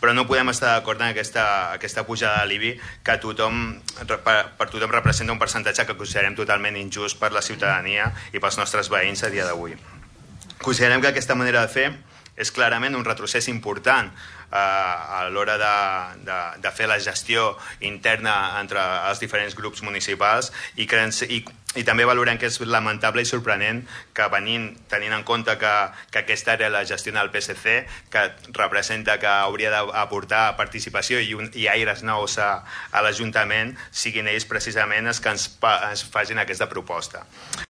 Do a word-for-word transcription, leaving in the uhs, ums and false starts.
però no podem estar d'acord en aquesta, aquesta pujada de l'I B I que tothom, per, per tothom representa un percentatge que considerem totalment injust per la ciutadania i pels nostres veïns a dia d'avui. Considerem que aquesta manera de fer és clarament un retrocés important eh, a l'hora de, de, de fer la gestió interna entre els diferents grups municipals i, que, i, i també valorem que és lamentable i sorprenent que venint, tenint en compte que, que aquesta era la gestió del P S C, que representa que hauria d'aportar participació i, un, i aires nous a, a l'Ajuntament, siguin ells precisament els que ens, ens facin aquesta proposta.